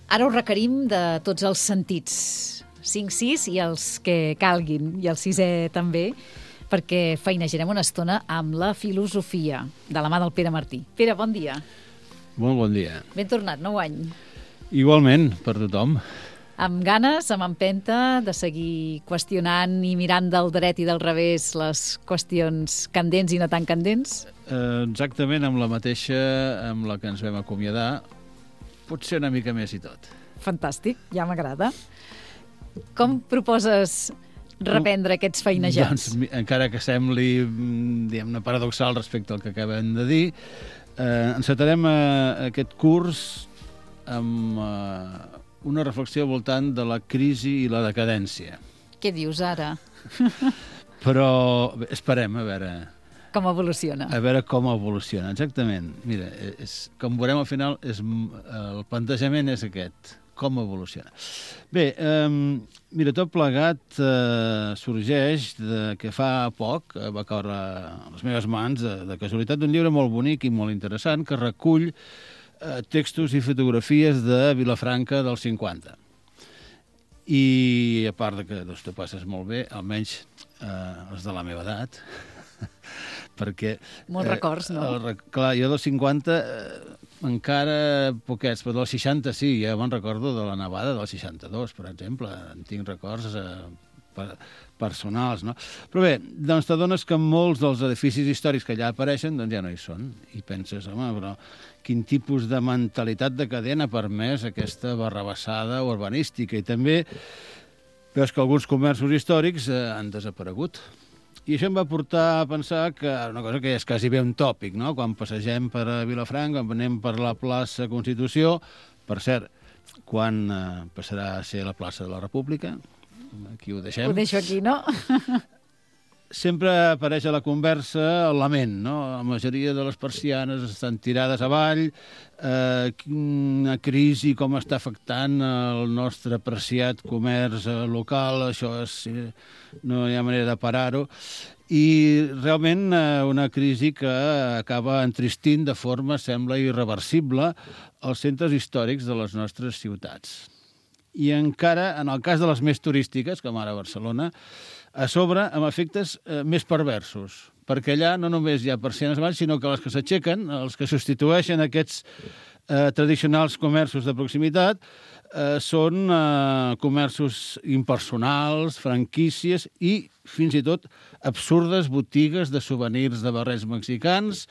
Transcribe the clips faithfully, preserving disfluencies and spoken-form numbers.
Ara ho requerim de tots els sentits, cinc sis i els que calguin, i el sisè també, perquè feinejarem una estona amb la filosofia, de la mà del Pere Martí. Pere, bon dia. Molt bon dia. Ben tornat, nou any. Igualment, per tothom. Amb ganes, amb empenta, de seguir qüestionant i mirant del dret i del revés les qüestions candents i no tan candents? Eh, exactament amb la mateixa amb la que ens vam acomiadar, potser una mica més i tot. Fantàstic, ja m'agrada. Com proposes reprendre aquests feinejats? Doncs, encara que sembli, diguem-ne, paradoxal respecte al que acabem de dir, eh, encetarem eh, aquest curs amb eh, una reflexió al voltant de la crisi i la decadència. Què dius ara? Però bé, esperem a veure... Com evoluciona. A veure com evoluciona, exactament. Mira, és, com veurem al final, és, el plantejament és aquest, com evoluciona. Bé, eh, mira, tot plegat eh, sorgeix de que fa poc eh, va caure a les meves mans, de, de casualitat, d'un llibre molt bonic i molt interessant que recull eh, textos i fotografies de Vilafranca dels cinquanta. I a part de que doncs, te passes molt bé, almenys eh, els de la meva edat, perquè... Molts eh, records, no? El, clar, jo dels cinquanta eh, encara poquets, però dels seixanta sí, ja me'n recordo de la nevada del seixanta-dos, per exemple, en tinc records eh, per, personals, no? Però bé, doncs t'adones que molts dels edificis històrics que allà apareixen doncs ja no hi són, i penses, home, però quin tipus de mentalitat decadent ha permès aquesta barrabassada urbanística, i també veus que alguns comerços històrics eh, han desaparegut. I això em va portar a pensar que una cosa que és quasi bé un tòpic, no? Quan passegem per a Vilafranca, quan anem per la plaça Constitució, per cert, quan eh, passarà a ser la plaça de la República, aquí ho deixem. Ho deixo aquí, no? Sempre apareix a la conversa el lament, no? La majoria de les persianes estan tirades avall, eh, quina crisi, com està afectant el nostre apreciat comerç local, això és, no hi ha manera de parar-ho, i realment eh, una crisi que acaba entristint de forma, sembla, irreversible els centres històrics de les nostres ciutats. I encara, en el cas de les més turístiques, com ara Barcelona, a sobre amb efectes eh, més perversos, perquè allà no només hi ha persianes avall, sinó que les que s'aixequen, els que substitueixen aquests eh, tradicionals comerços de proximitat, eh, són eh, comerços impersonals, franquícies i, fins i tot, absurdes botigues de souvenirs de barrets mexicans,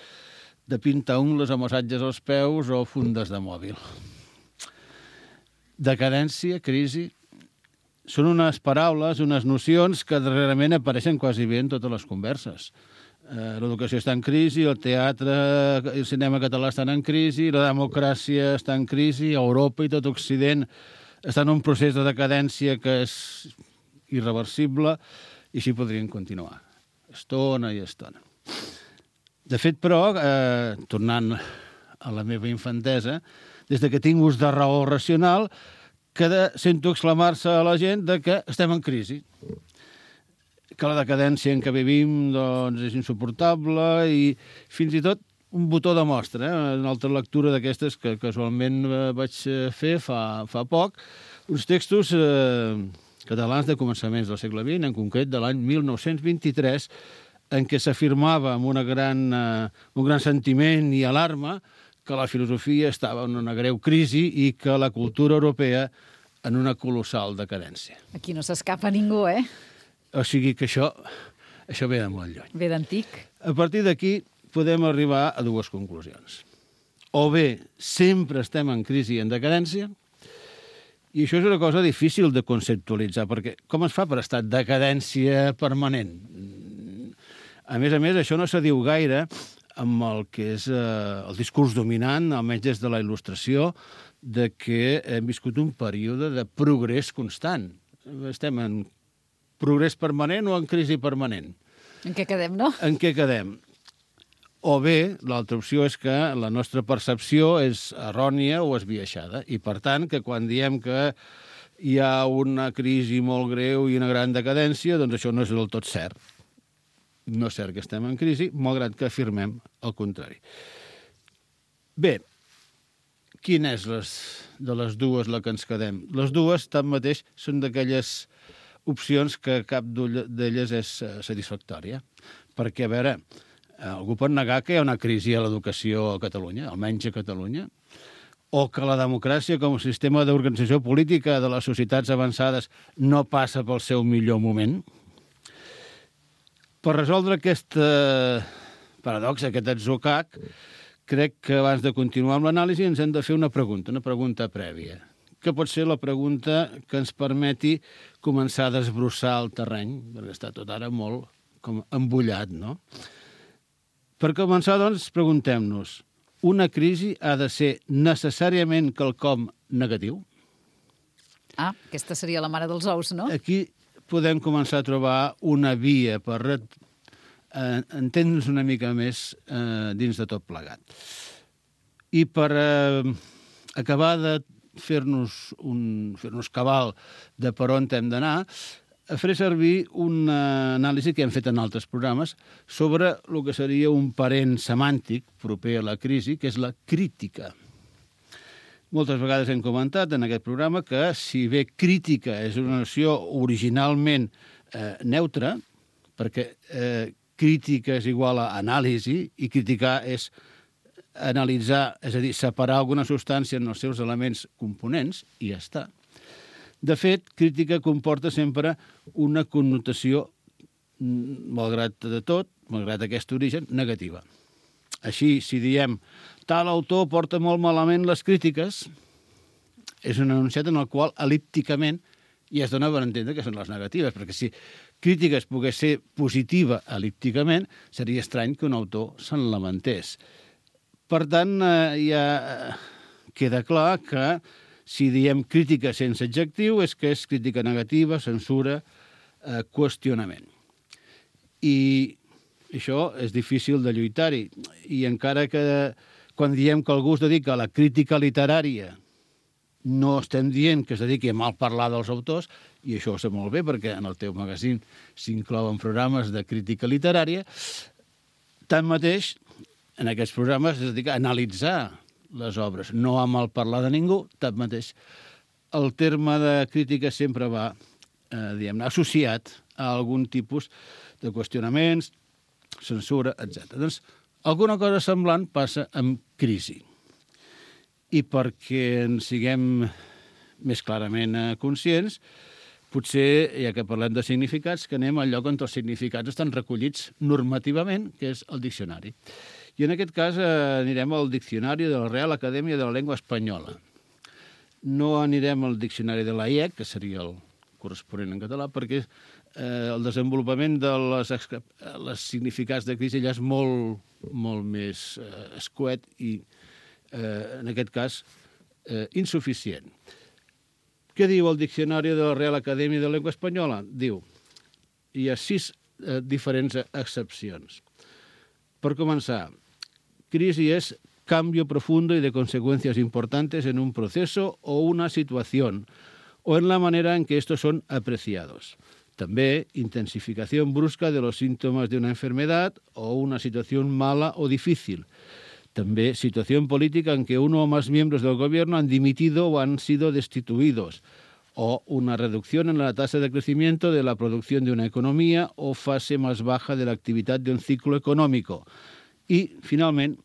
de pintaungles o massatges als peus o fundes de mòbil. Decadència, crisi... Són unes paraules, unes nocions que darrerament apareixen quasi bé en totes les converses. Eh, l'educació està en crisi, el teatre i el cinema català estan en crisi, la democràcia està en crisi, Europa i tot Occident està en un procés de decadència que és irreversible, i així podrien continuar, estona i estona. De fet, però, eh, tornant a la meva infantesa, des de que tinc ús de raó racional, que de, sento exclamar-se a la gent de que estem en crisi, que la decadència en què vivim doncs, és insuportable, i fins i tot un botó de mostra, eh? Una altra lectura d'aquestes que casualment vaig fer fa, fa poc, uns textos eh, catalans de començaments del segle vint, en concret de l'any mil nou-cents vint-i-tres, en què s'afirmava amb una gran, eh, un gran sentiment i alarma que la filosofia estava en una greu crisi i que la cultura europea en una colossal decadència. Aquí no s'escapa ningú, eh? O sigui que això, això ve de molt lluny. Ve d'antic. A partir d'aquí podem arribar a dues conclusions. O bé, sempre estem en crisi i en decadència, i això és una cosa difícil de conceptualitzar, perquè com es fa per estar en decadència permanent? A més a més, això no se diu gaire amb el que és eh, el discurs dominant, almenys des de la Il·lustració, de que hem viscut un període de progrés constant. Estem en progrés permanent o en crisi permanent? En què quedem, no? En què quedem? O bé, l'altra opció és que la nostra percepció és errònia o esbiaixada, i per tant, que quan diem que hi ha una crisi molt greu i una gran decadència, doncs això no és del tot cert. No és cert que estem en crisi, malgrat que afirmem el contrari. Bé, quina és les, de les dues la que ens quedem? Les dues, tanmateix, són d'aquelles opcions que cap d'elles és satisfactòria. Perquè, a veure, algú pot negar que hi ha una crisi a l'educació a Catalunya, almenys a Catalunya, o que la democràcia com a sistema d'organització política de les societats avançades no passa pel seu millor moment. Per resoldre aquest paradox, aquest atzucac, crec que abans de continuar amb l'anàlisi ens hem de fer una pregunta, una pregunta prèvia, que pot ser la pregunta que ens permeti començar a desbrossar el terreny, perquè està tot ara molt com embullat, no? Per començar, doncs, preguntem-nos, una crisi ha de ser necessàriament quelcom negatiu? Ah, aquesta seria la mare dels ous, no? Aquí podem començar a trobar una via per eh, entendre'ns una mica més eh, dins de tot plegat. I per eh, acabar de fer-nos un, fer-nos cabal de per on hem d'anar, faré servir una anàlisi que hem fet en altres programes sobre el que seria un parent semàntic proper a la crisi, que és la crítica. Moltes vegades hem comentat en aquest programa que si bé crítica és una noció originalment eh, neutra, perquè eh, crítica és igual a anàlisi i criticar és analitzar, és a dir, separar alguna substància en els seus elements components, i ja està. De fet, crítica comporta sempre una connotació, malgrat de tot, malgrat aquest origen, negativa. Així, si diem tal autor porta molt malament les crítiques, és un enunciat en el qual, elípticament, ja es dona per entendre que són les negatives, perquè si crítiques pogués ser positiva elípticament, seria estrany que un autor se'n lamentés. Per tant, eh, ja queda clar que si diem crítica sense adjectiu és que és crítica negativa, censura, eh, qüestionament. I això és difícil de lluitar-hi. I encara que quan diem que algú es dedica a la crítica literària no estem dient que es dediqui a mal parlar dels autors, i això ho sé molt bé perquè en el teu magazín s'inclouen programes de crítica literària, tanmateix en aquests programes es dedica a analitzar les obres, no a malparlar de ningú, tanmateix el terme de crítica sempre va, eh, diguem-ne, associat a algun tipus de qüestionaments, censura, etcètera. Doncs alguna cosa semblant passa amb crisi. I perquè en siguem més clarament eh, conscients, potser, ja que parlem de significats, que anem al lloc on els significats estan recollits normativament, que és el diccionari. I en aquest cas eh, anirem al diccionari de la Real Acadèmia de la Llengua Espanyola. No anirem al diccionari de l'A I E C, que seria el corresponent en català, perquè eh, el desenvolupament de les, les significats de crisi ja és molt, molt més eh, escuet i, eh, en aquest cas, eh, insuficient. Què diu el diccionari de la Real Acadèmia de la Llengua Espanyola? Diu, hi ha sis eh, diferents excepcions. Per començar, crisi es cambio profundo y de consecuencias importantes en un proceso o una situación, o en la manera en que estos son apreciados. També, intensificación brusca de los síntomas de una enfermedad o una situación mala o difícil. També, situación política en que uno o más miembros del gobierno han dimitido o han sido destituidos, o una reducción en la tasa de crecimiento de la producción de una economía o fase más baja de la actividad de un ciclo económico. Y, finalmente,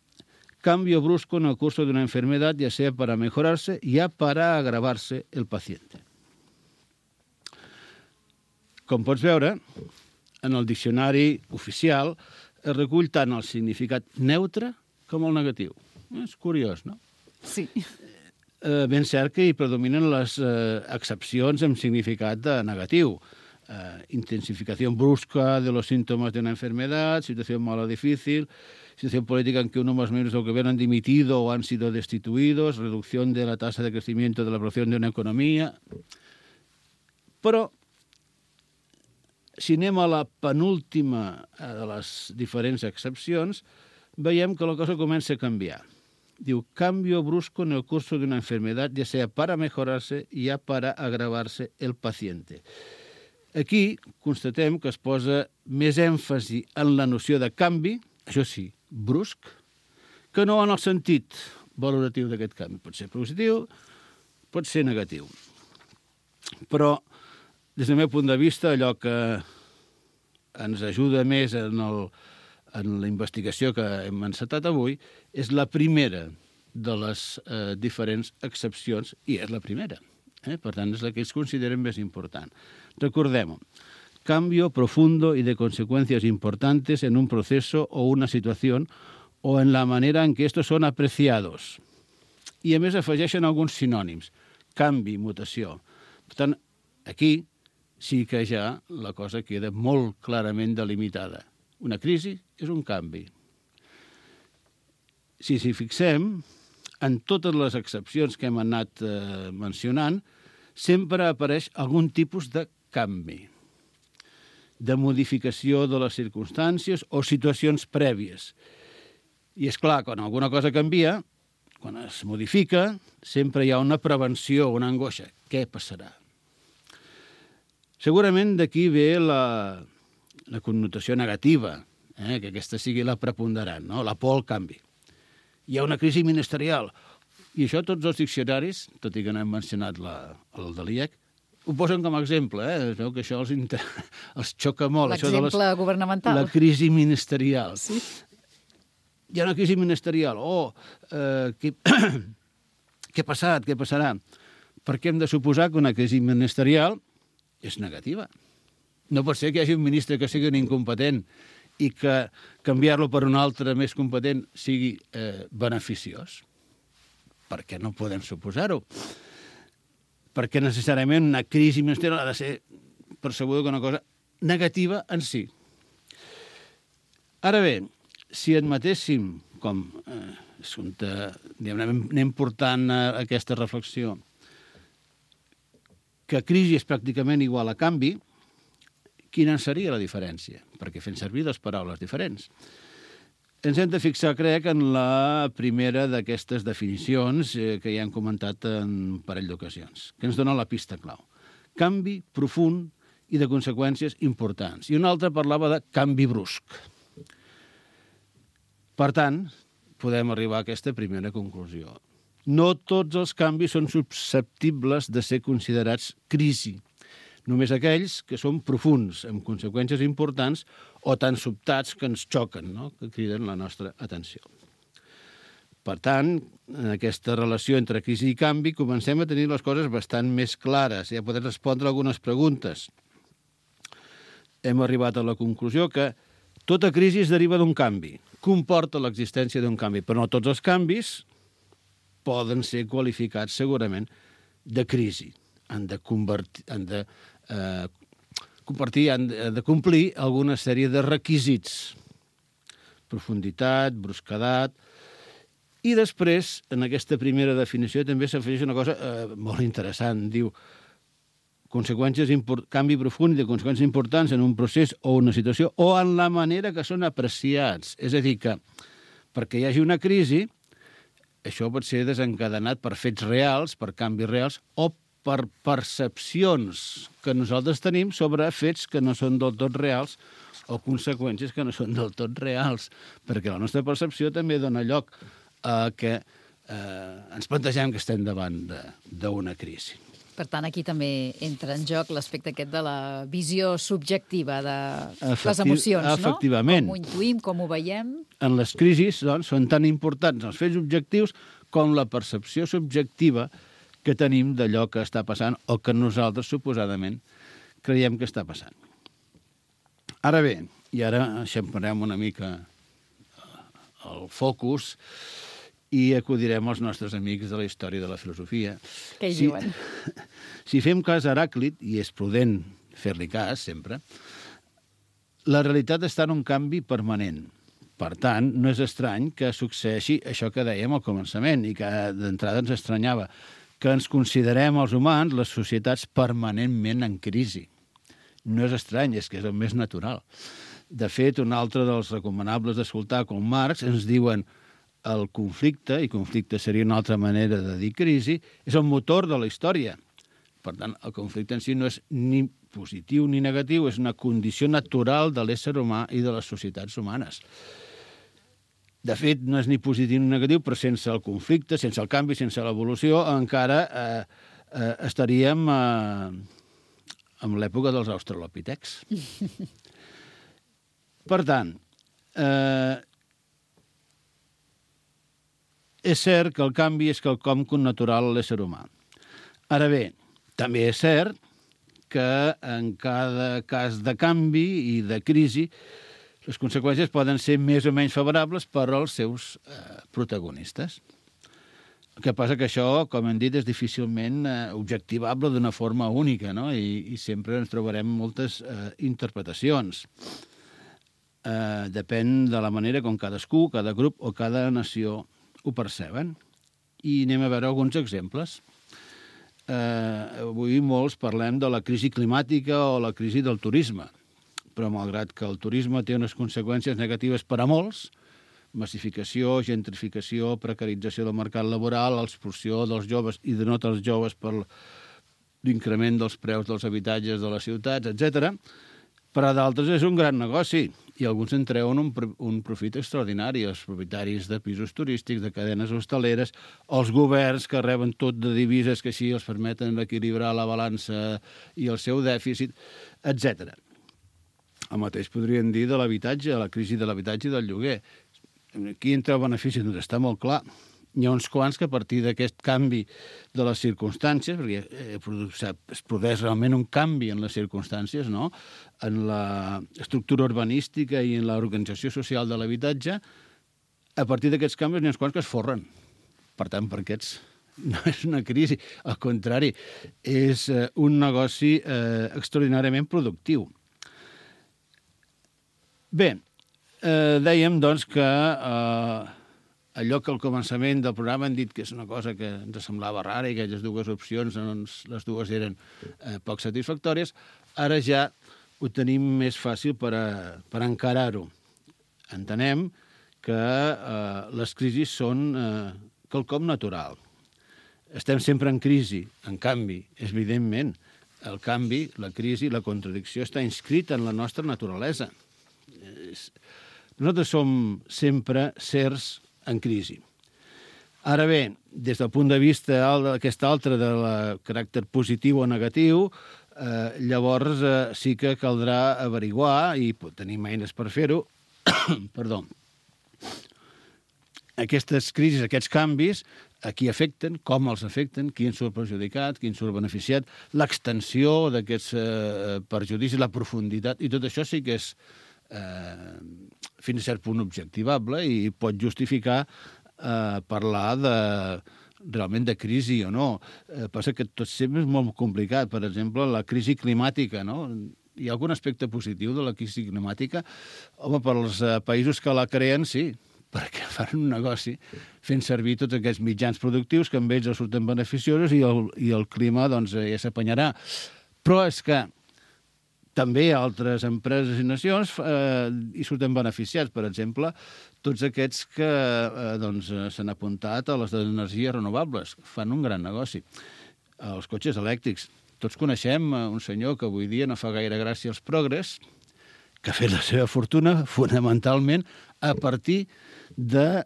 cambio brusco en el curso de una enfermedad, ya sea para mejorarse, ya para agravarse el paciente. Com pots veure, en el diccionari oficial es recull tant el significat neutre com el negatiu. És curiós, no? Sí. Eh, ben cert que hi predominen les eh, excepcions amb significat de negatiu. Eh, intensificación brusca de los síntomas de una enfermedad, situación mala o difícil, situación política en que uno o más miembros del gobierno han dimitido o han sido destituidos, reducción de la tasa de crecimiento de la producción de una economía. Però, si anem a la penúltima de les diferents excepcions, veiem que la cosa comença a canviar. Diu, cambio brusco en el curso de una enfermedad, ya sea para mejorarse, ya para agravarse el paciente. Aquí constatem que es posa més èmfasi en la noció de canvi, això sí, brusc, que no en el sentit valoratiu d'aquest canvi. Pot ser positiu, pot ser negatiu. Però, des del meu punt de vista, allò que ens ajuda més en, el, en la investigació que hem encetat avui és la primera de les eh, diferents excepcions, i és la primera. Eh? Per tant, és la que ells consideren més important. Recordem-ho. Cambio profundo y de consecuencias importantes en un proceso o una situación o en la manera en que estos son apreciados. I, a més, afegeixen alguns sinònims. Canvi, mutació. Per tant, aquí sí que ja la cosa queda molt clarament delimitada. Una crisi és un canvi. Si s'hi fixem, en totes les excepcions que hem anat eh, mencionant, sempre apareix algun tipus de canvi, de modificació de les circumstàncies o situacions prèvies. I és clar, quan alguna cosa canvia, quan es modifica, sempre hi ha una prevenció, una angoixa. Què passarà? Segurament d'aquí ve la, la connotació negativa, eh? que aquesta sigui la preponderant, no? La por al canvi. Hi ha una crisi ministerial. I això tots els diccionaris, tot i que no hem mencionat la, el de l'I E C, ho posen com a exemple, eh? Es veu que això els, inter... els xoca molt. L'exemple les... governamental. La crisi ministerial. Sí. Hi ha una crisi ministerial. Oh, eh, què... què ha passat? Què passarà? Perquè hem de suposar que una crisi ministerial és negativa. No pot ser que hi hagi un ministre que sigui un incompetent i que canviar-lo per un altre més competent sigui eh, beneficiós. Per què no podem suposar-ho? Perquè necessàriament una crisi ministerial ha de ser percebuda com una cosa negativa en si. Ara bé, si admetéssim, com eh, assumpte, anem, anem portant eh, aquesta reflexió, que crisi és pràcticament igual a canvi, quina seria la diferència? Perquè fem servir dues paraules diferents. Ens hem de fixar, crec, en la primera d'aquestes definicions eh, que ja hem comentat en un parell d'ocasions, que ens dona la pista clau. Canvi profund i de conseqüències importants. I una altra parlava de canvi brusc. Per tant, podem arribar a aquesta primera conclusió. No tots els canvis són susceptibles de ser considerats crisi. Només aquells que són profunds, amb conseqüències importants, o tan sobtats que ens xoquen, no? Que criden la nostra atenció. Per tant, en aquesta relació entre crisi i canvi, comencem a tenir les coses bastant més clares. Ja podem respondre algunes preguntes. Hem arribat a la conclusió que tota crisi es deriva d'un canvi, comporta l'existència d'un canvi, però no tots els canvis poden ser qualificats segurament de crisi. Han de, convertir, han de, eh, compartir, han de, de complir alguna sèrie de requisits. Profunditat, brusquedat. I després, en aquesta primera definició, també s'afegeix una cosa eh, molt interessant. Diu, conseqüències import, canvi profund de conseqüències importants en un procés o una situació o en la manera que són apreciats. És a dir, que perquè hi hagi una crisi, això pot ser desencadenat per fets reals, per canvis reals, o per percepcions que nosaltres tenim sobre fets que no són del tot reals o conseqüències que no són del tot reals, perquè la nostra percepció també dona lloc a que eh, ens plantegem que estem davant d'una crisi. Per tant, aquí també entra en joc l'aspecte aquest de la visió subjectiva de Efecti les emocions, efectivament. No? Com ho intuïm, com ho veiem. En les crisis, doncs, són tan importants els fets objectius com la percepció subjectiva que tenim d'allò que està passant o que nosaltres suposadament creiem que està passant. Ara bé, i ara eixamparem una mica el focus i acudirem als nostres amics de la història de la filosofia. Què hi si, diuen? Si fem cas a Heràclit, i és prudent fer-li cas sempre, la realitat està en un canvi permanent. Per tant, no és estrany que succeeixi això que dèiem al començament i que d'entrada ens estranyava, que ens considerem els humans, les societats, permanentment en crisi. No és estrany, és que és el més natural. De fet, un altre dels recomanables d'escoltar, com Marx, ens diuen el conflicte, i conflicte seria una altra manera de dir crisi, és el motor de la història. Per tant, el conflicte en si no és ni positiu ni negatiu, és una condició natural de l'ésser humà i de les societats humanes. de fet, no és ni positiu ni negatiu, però sense el conflicte, sense el canvi, sense l'evolució, encara eh, eh, estaríem eh, en l'època dels australopitecs. Per tant, eh, és cert que el canvi és quelcom connatural a l'ésser humà. Ara bé, també és cert que en cada cas de canvi i de crisi les conseqüències poden ser més o menys favorables per als seus eh, protagonistes. El que passa que això, com hem dit, és difícilment eh, objectivable d'una forma única, no? I, i sempre ens trobarem moltes eh, interpretacions. Eh, depèn de la manera com cadascú, cada grup o cada nació ho perceben. I anem a veure alguns exemples. Eh, avui molts parlem de la crisi climàtica o la crisi del turisme, però malgrat que el turisme té unes conseqüències negatives per a molts, massificació, gentrificació, precarització del mercat laboral, l'expulsió dels joves i de no dels joves per l'increment dels preus dels habitatges de les ciutats, etcètera, per a d'altres és un gran negoci i alguns en treuen un, un profit extraordinari, els propietaris de pisos turístics, de cadenes hostaleres, els governs que reben tot de divises que així els permeten equilibrar la balança i el seu dèficit, etcètera. El mateix podríem dir de l'habitatge, la crisi de l'habitatge i del lloguer. Qui en treu benefici? Doncs està molt clar. Hi ha uns quants que a partir d'aquest canvi de les circumstàncies, perquè es produeix realment un canvi en les circumstàncies, no? En l'estructura urbanística i en l'organització social de l'habitatge, a partir d'aquests canvis n'hi ha uns quants que es forren. Per tant, per aquests no és una crisi. Al contrari, és un negoci eh, extraordinàriament productiu. Bé, eh, dèiem, doncs, que eh, allò que al començament del programa hem dit que és una cosa que ens semblava rara i que aquelles dues opcions, doncs, les dues eren eh, poc satisfactòries, ara ja ho tenim més fàcil per, a, per encarar-ho. Entenem que eh, les crisis són eh, quelcom natural. Estem sempre en crisi, en canvi, evidentment, el canvi, la crisi, la contradicció està inscrita en la nostra naturalesa. Nosaltres som sempre sers en crisi. Ara bé, des del punt de vista d'aquest altre de la caràcter positiu o negatiu, eh, llavors eh, sí que caldrà averiguar, i tenim eines per fer-ho, perdó, aquestes crisis, aquests canvis, a qui afecten, com els afecten, qui en surt perjudicat, qui en surt beneficiat, l'extensió d'aquests eh, perjudicis, la profunditat, i tot això sí que és Eh, fins a cert punt objectivable i pot justificar eh, parlar de, realment de crisi o no. Eh, passa que tot sempre és molt complicat. Per exemple, la crisi climàtica, no? Hi ha algun aspecte positiu de la crisi climàtica? Home, per als eh, països que la creen, sí, perquè fan un negoci fent servir tots aquests mitjans productius que amb ells els surten beneficiosos i el, i el clima doncs, ja s'apanyarà. Però és que també altres empreses i nacions eh, hi surten beneficiats. Per exemple, tots aquests que eh, doncs, s'han apuntat a les energies renovables. Fan un gran negoci. Els cotxes elèctrics. Tots coneixem un senyor que avui dia no fa gaire gràcia als progres, que ha fet la seva fortuna fonamentalment a partir de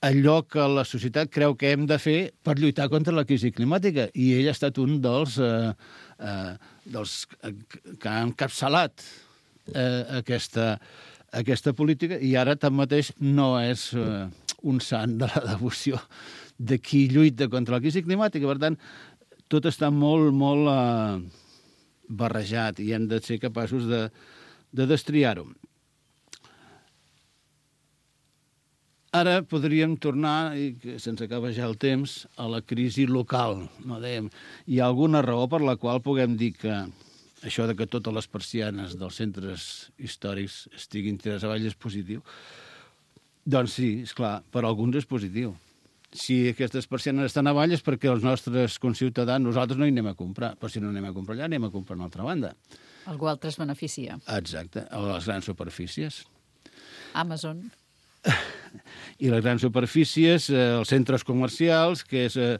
allò que la societat creu que hem de fer per lluitar contra la crisi climàtica. I ell ha estat un dels, eh, eh, dels que ha encapçalat eh, aquesta, aquesta política i ara, tanmateix, no és eh, un sant de la devoció de qui lluita contra la crisi climàtica. Per tant, tot està molt, molt eh, barrejat i hem de ser capaços de, de destriar-ho. Ara podríem tornar, i que se'ns acaba ja el temps, a la crisi local. No dèiem, hi ha alguna raó per la qual puguem dir que això de que totes les persianes dels centres històrics estiguin tirades avall és positiu? Doncs sí, esclar, per alguns és positiu. Si aquestes persianes estan avall és perquè els nostres conciutadans, nosaltres no hi anem a comprar, però si no anem a comprar allà, anem a comprar a una altra banda. Algú altre es beneficia. Exacte, a les grans superfícies. Amazon. I les grans superfícies, eh, els centres comercials, que és eh,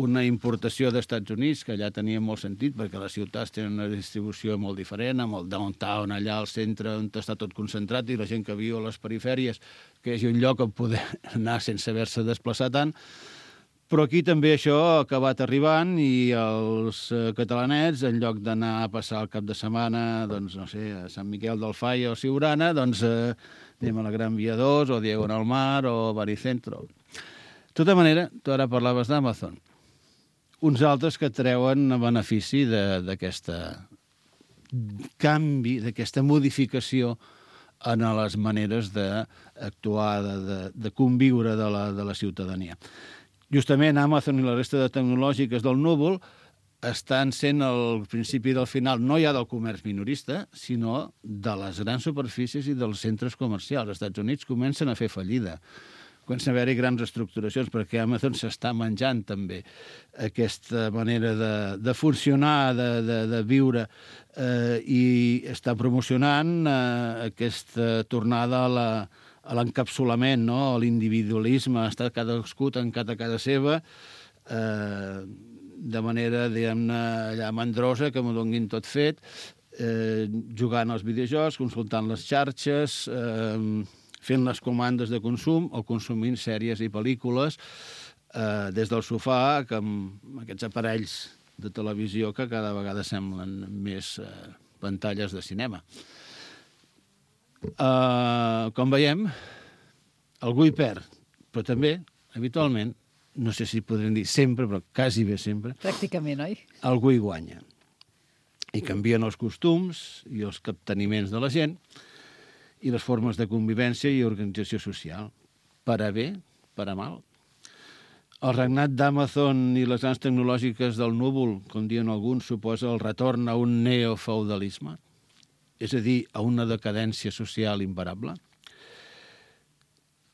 una importació dels Estats Units, que allà tenia molt sentit, perquè les ciutats tenen una distribució molt diferent, amb el downtown allà al centre on està tot concentrat, i la gent que viu a les perifèries, que hi hagi un lloc on poder anar sense haver-se desplaçat tant. Però aquí també això ha acabat arribant i els eh, catalanets, en lloc d'anar a passar el cap de setmana, doncs, no sé, a Sant Miquel del Fai o Siurana, doncs eh, anem a la Gran Via dos o Diagonal Mar o Baricentro. De tota manera, tu ara parlaves d'Amazon. Uns altres que treuen benefici d'aquesta canvi, d'aquesta modificació en les maneres d'actuar, de, de, de conviure de la, de la ciutadania. Justament Amazon i la resta de tecnològiques del núvol estan sent el principi del final, no ja del comerç minorista, sinó de les grans superfícies i dels centres comercials. Els Estats Units comencen a fer fallida, comencen a haver-hi grans estructuracions, perquè Amazon s'està menjant també aquesta manera de, de funcionar, de, de, de viure, eh, i està promocionant eh, aquesta tornada a la a l'encapsulament, no? A l'individualisme, està cadascú tancat a casa seva, eh, de manera, diguem-ne, allà mandrosa, que m'ho donguin tot fet, eh, jugant als videojocs, consultant les xarxes, eh, fent les comandes de consum o consumint sèries i pel·lícules eh, des del sofà, que amb aquests aparells de televisió que cada vegada semblen més eh, pantalles de cinema. Uh, com veiem, algú hi perd, però també, habitualment, no sé si podrem dir sempre, però quasi bé sempre, pràcticament, oi? Algú hi guanya. I canvien els costums i els capteniments de la gent i les formes de convivència i organització social, per a bé, per a mal. El regnat d'Amazon i les grans tecnològiques del núvol, com diuen alguns, suposa el retorn a un neofeudalisme, és a dir, a una decadència social imparable.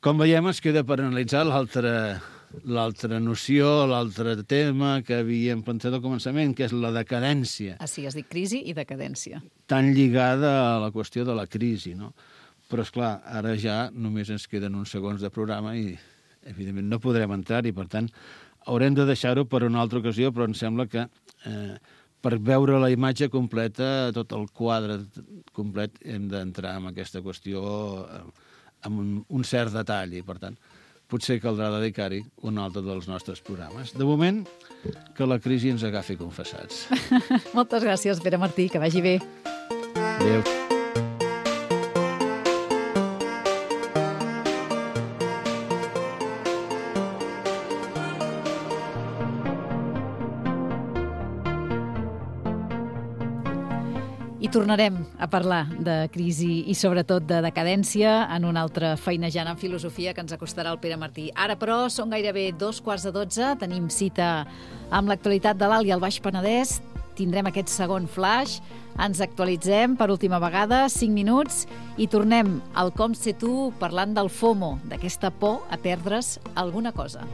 Com veiem, es queda per analitzar l'altra noció, l'altre tema que havíem pensat al començament, que és la decadència. Ah, sí, has dit crisi i decadència. Tan lligada a la qüestió de la crisi, no? Però, esclar, ara ja només ens queden uns segons de programa i, evidentment, no podrem entrar-hi. Per tant, haurem de deixar-ho per una altra ocasió, però em sembla que eh, per veure la imatge completa, tot el quadre complet, hem d'entrar en aquesta qüestió amb un, un cert detall i, per tant, potser caldrà dedicar-hi un altre dels nostres programes. De moment, que la crisi ens agafi confessats. Moltes gràcies, Pere Martí, que vagi bé. Adéu. I tornarem a parlar de crisi i sobretot de decadència en una altra feinejant en filosofia que ens acostarà el Pere Martí. Ara, però, són gairebé dos quarts de dotze, tenim cita amb l'actualitat de l'Alt i el Baix Penedès, tindrem aquest segon flash, ens actualitzem per última vegada, cinc minuts, i tornem al Com sé tu parlant del FOMO, d'aquesta por a perdre's alguna cosa.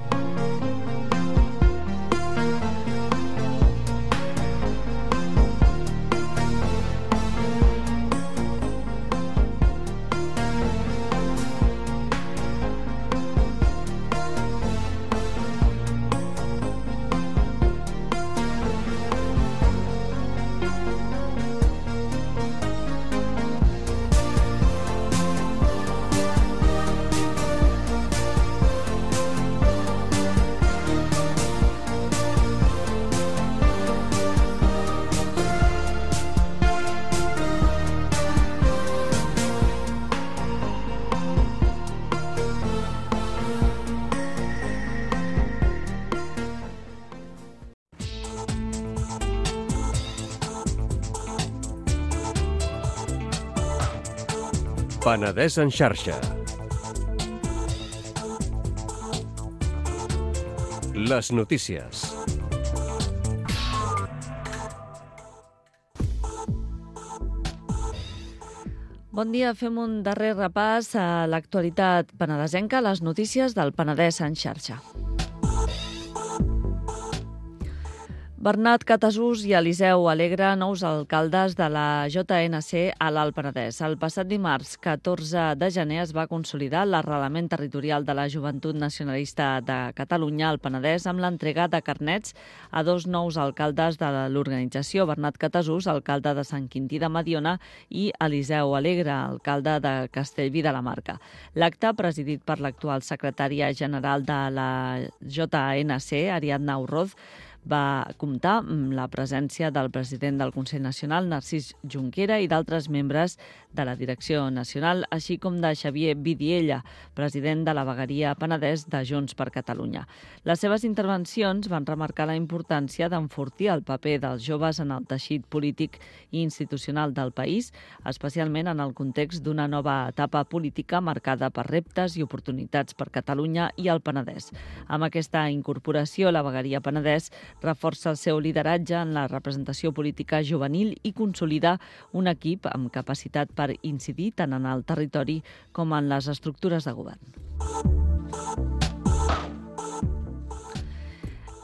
Penedès en xarxa. Les notícies. Bon dia, fem un darrer repàs a l'actualitat penedesenca, les notícies del Penedès en xarxa. Bernat Catasús i Eliseu Alegre, nous alcaldes de la J N C a l'Alt Penedès. El passat dimarts, catorze de gener, es va consolidar l'arrelament territorial de la Joventut Nacionalista de Catalunya al Penedès amb l'entrega de carnets a dos nous alcaldes de l'organització, Bernat Catasús, alcalde de Sant Quintí de Mediona, i Eliseu Alegre, alcalde de Castellví de la Marca. L'acte, presidit per l'actual secretària general de la J N C, Ariadna Urroz, va comptar amb la presència del president del Consell Nacional, Narcís Junquera, i d'altres membres de la Direcció Nacional, així com de Xavier Vidiella, president de la vegueria Penedès de Junts per Catalunya. Les seves intervencions van remarcar la importància d'enfortir el paper dels joves en el teixit polític i institucional del país, especialment en el context d'una nova etapa política marcada per reptes i oportunitats per Catalunya i el Penedès. Amb aquesta incorporació, la vegueria Penedès reforça el seu lideratge en la representació política juvenil i consolida un equip amb capacitat per incidir tant en el territori com en les estructures de govern.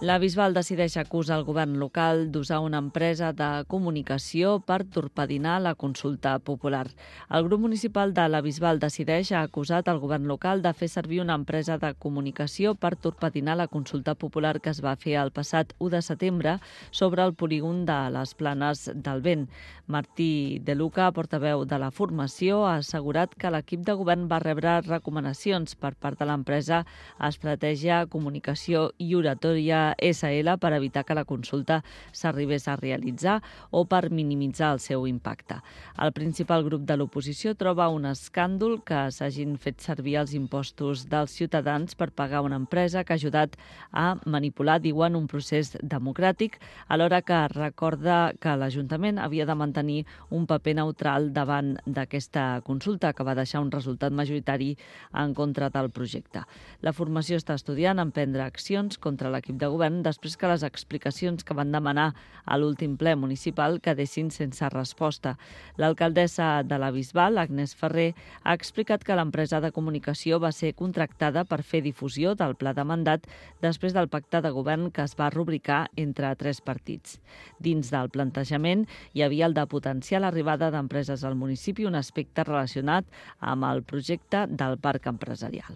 La Bisbal decideix acusar el govern local d'usar una empresa de comunicació per torpedinar la consulta popular. El grup municipal de la Bisbal decideix ha acusat el govern local de fer servir una empresa de comunicació per torpedinar la consulta popular que es va fer el passat u de setembre sobre el polígon de les Planes del Vent. Martí De Luca, portaveu de la formació, ha assegurat que l'equip de govern va rebre recomanacions per part de l'empresa Estratègia, Comunicació i Oratòria S L per evitar que la consulta s'arribés a realitzar o per minimitzar el seu impacte. El principal grup de l'oposició troba un escàndol que s'hagin fet servir els impostos dels ciutadans per pagar una empresa que ha ajudat a manipular, diuen, un procés democràtic, alhora que recorda que l'Ajuntament havia de mantenir un paper neutral davant d'aquesta consulta que va deixar un resultat majoritari en contra del projecte. La formació està estudiant emprendre accions contra l'equip de govern després que les explicacions que van demanar a l'últim ple municipal quedessin sense resposta. L'alcaldessa de la Bisbal, Agnès Ferrer, ha explicat que l'empresa de comunicació va ser contractada per fer difusió del pla de mandat després del pacte de govern que es va rubricar entre tres partits. Dins del plantejament hi havia el de potenciar l'arribada d'empreses al municipi, un aspecte relacionat amb el projecte del parc empresarial.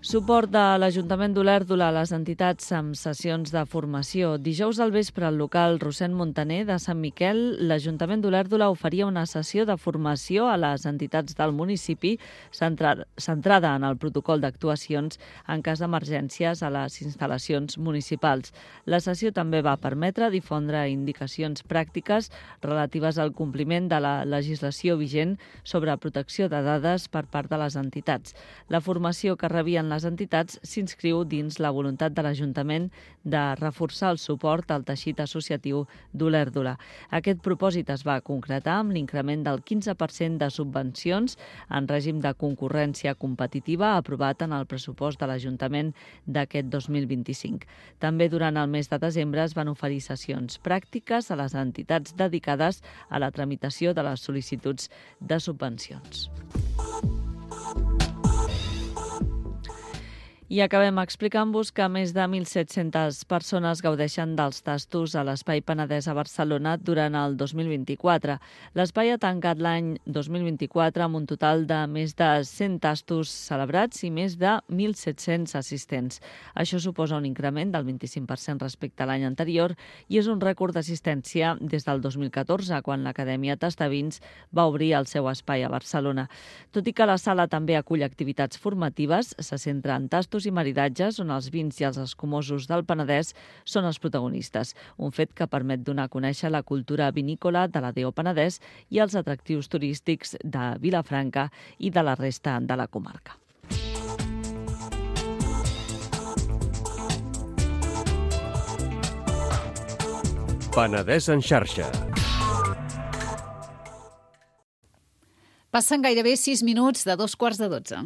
Suport de l'Ajuntament d'Olèrdola a les entitats amb sessions de formació. Dijous al vespre al local Rossend Montaner de Sant Miquel, l'Ajuntament d'Olèrdola oferia una sessió de formació a les entitats del municipi centrada en el protocol d'actuacions en cas d'emergències a les instal·lacions municipals. La sessió també va permetre difondre indicacions pràctiques relatives al compliment de la legislació vigent sobre protecció de dades per part de les entitats. La formació que rebien les entitats s'inscriu dins la voluntat de l'Ajuntament de reforçar el suport al teixit associatiu d'Olèrdola. Aquest propòsit es va concretar amb l'increment del quinze per cent de subvencions en règim de concurrència competitiva aprovat en el pressupost de l'Ajuntament d'aquest dos mil vint-i-cinc. També durant el mes de desembre es van oferir sessions pràctiques a les entitats dedicades a la tramitació de les sol·licituds de subvencions. I acabem explicant-vos que més de mil set-centes persones gaudeixen dels tastos a l'Espai Penedès a Barcelona durant el dos mil vint-i-quatre. L'espai ha tancat l'any dos mil vint-i-quatre amb un total de més de cent tastos celebrats i més de mil set-cents assistents. Això suposa un increment del vint-i-cinc per cent respecte a l'any anterior i és un rècord d'assistència des del dos mil catorze, quan l'Acadèmia Tastavins va obrir el seu espai a Barcelona. Tot i que la sala també acull activitats formatives, se centra en tastos i maridatges on els vins i els escumosos del Penedès són els protagonistes, un fet que permet donar a conèixer la cultura vinícola de la D O Penedès i els atractius turístics de Vilafranca i de la resta de la comarca. Penedès en xarxa. Passen gairebé sis minuts de dos quarts de dotze.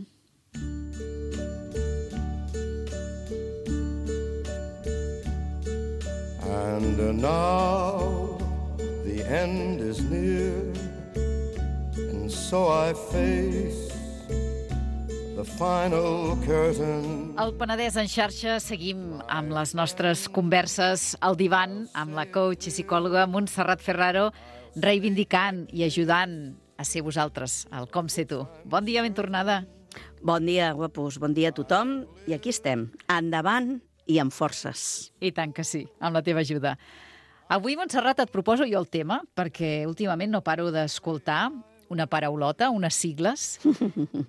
And now the end is near, and so I face the final curtain. Al Penedès en xarxa seguim amb les nostres converses al divan amb la coach i psicòloga Montserrat Ferraro, reivindicant i ajudant a ser vosaltres, el Com Ser Tu. Bon dia, ben tornada. Bon dia, guapos, bon dia a tothom. I aquí estem, endavant i amb forces. I tant que sí, amb la teva ajuda. Avui, Montserrat, et proposo jo el tema, perquè últimament no paro d'escoltar una paraulota, unes sigles,